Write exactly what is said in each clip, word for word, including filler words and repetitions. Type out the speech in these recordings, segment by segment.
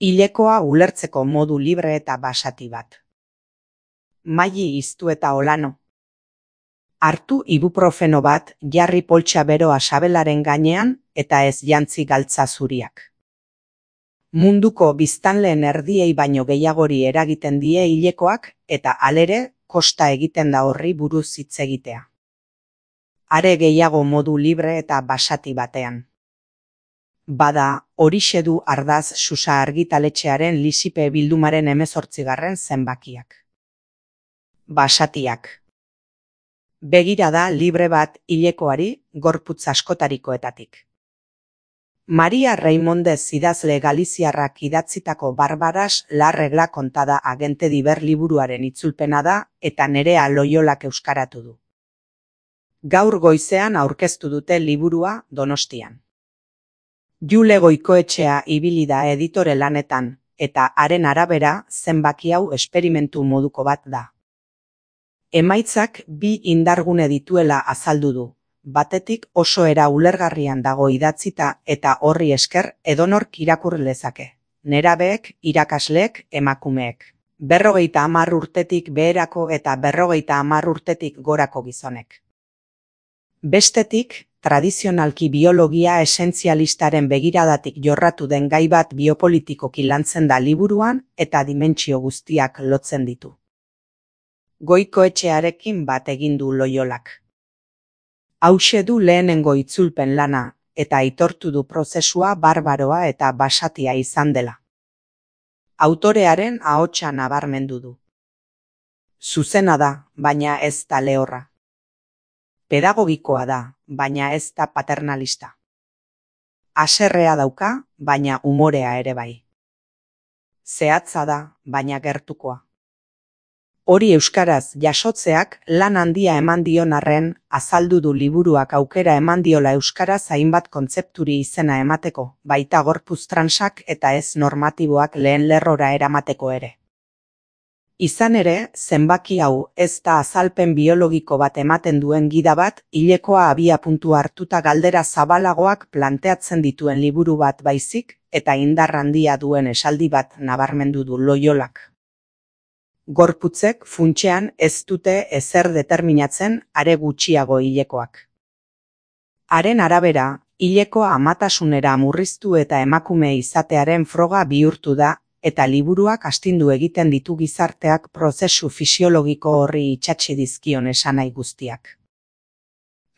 Hilekoa ulertzeko modu libre eta basati bat. Maili iztu eta olano. Hartu ibuprofeno bat, jarri poltsa beroa sabelaren gainean eta ez jantzi galtza zuriak. Munduko biztanleen erdiei baino gehiagori eragiten die hilekoak eta halere kosta egiten da horri buruz hitz egitea. Are gehiago modu libre eta basati batean. Bada, horixe du Ardaz Susa argitaletxearen Lisipe bildumaren hemezortzigarren zenbakiak. Basatiak. Begirada libre bat hilekoari gorputz askotarikoetatik. Maria Reimondez idazle galiziarrak idatzitako Barbaras la regla kontada agente diber liburuaren itzulpena da eta Nerea Loiolak euskaratu du. Gaur goizean aurkeztu dute liburua Donostian. Jule Goikoetxea ibili da editore lanetan, eta haren arabera zenbaki hau esperimentu moduko bat da. Emaitzak bi indargune dituela azaldu du, batetik oso era ulergarrian dago idatzita eta horri esker edonork irakur lezake. Nerabeek, irakasleek, emakumeek. Berrogeita hamar urtetik beherako eta berrogeita hamar urtetik gorako gizonek. Bestetik, tradizionalki biologia esentzialistaren begiradatik jorratu den gai bat biopolitikoki lantzen da liburuan eta dimentsio guztiak lotzen ditu. Goikoetxearekin bat egin du Loiolak. Hauxe du lehenengo itzulpen lana eta aitortu du prozesua barbaroa eta basatia izan dela. Autorearen ahotsa nabarmendu du. Zuzena da, baina ez da lehorra. Pedagogikoa da, baina ez da paternalista. Haserrea dauka, baina umorea ere bai. Zehatza da, baina gertukoa. Hori euskaraz jasotzeak lan handia eman dion arren, azaldu du liburuak aukera eman diola euskaraz hainbat kontzepturi izena emateko, baita gorputz transak eta ez normatiboak lehen lerrora eramateko ere. Izan ere, zenbaki hau ez da azalpen biologiko bat ematen duen gida bat, hilekoa abia puntu hartuta galdera zabalagoak planteatzen dituen liburu bat baizik, eta indar handia duen esaldi bat nabarmendu du Loiolak. Gorputzek funtsean ez dute ezer determinatzen, are gutxiago hilekoak. Haren arabera, hilekoa amatasunera murriztu eta emakume izatearen froga bihurtu da, eta liburuak astindu egiten ditu gizarteak prozesu fisiologiko horri itsatsi dizkion esanai guztiak.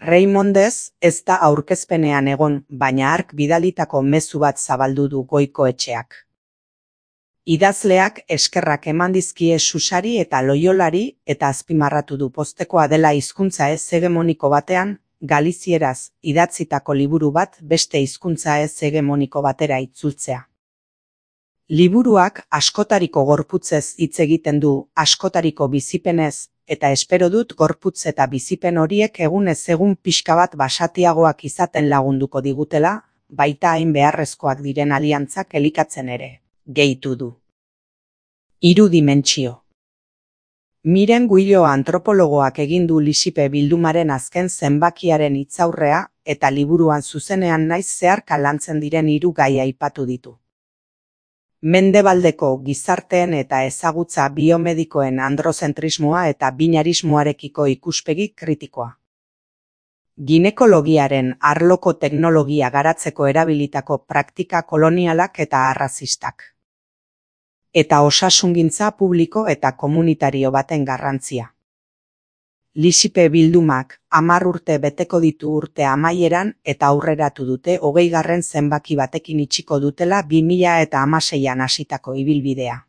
Reimondez ez da aurkezpenean egon, baina hark bidalitako mezu bat zabaldu du Goikoetxeak. Idazleak eskerrak eman dizkie Susari eta Loiolari eta azpimarratu du poztekoa dela hizkuntza ez hegemoniko batean, galizieraz idatzitako liburu bat beste hizkuntza ez hegemoniko batera itzultzea. Liburuak askotariko gorputzez hitz egiten du, askotariko bizipenez, eta espero dut gorputz eta bizipen horiek egunez egun pixka bat basatiagoak izaten lagunduko digutela, baita hain beharrezkoak diren aliantzak elikatzen ere, gehitu du. Hiru dimentsio. Miren Guillo antropologoak egin du Lisipe bildumaren azken zenbakiaren hitzaurrea eta liburuan zuzenean naiz zeharka lantzen diren hiru gai aipatu ditu. Mendebaldeko gizarteen eta ezagutza biomedikoen androzentrismoa eta binarismoarekiko ikuspegi kritikoa. Ginekologiaren arloko teknologia garatzeko erabilitako praktika kolonialak eta arrazistak. Eta osasungintza publiko eta komunitario baten garrantzia. Lisipe bildumak hamar urte beteko ditu urte amaieran eta aurreratu dute hogeigarren zenbaki batekin itxiko dutela bi mila hamaseian hasitako ibilbidea.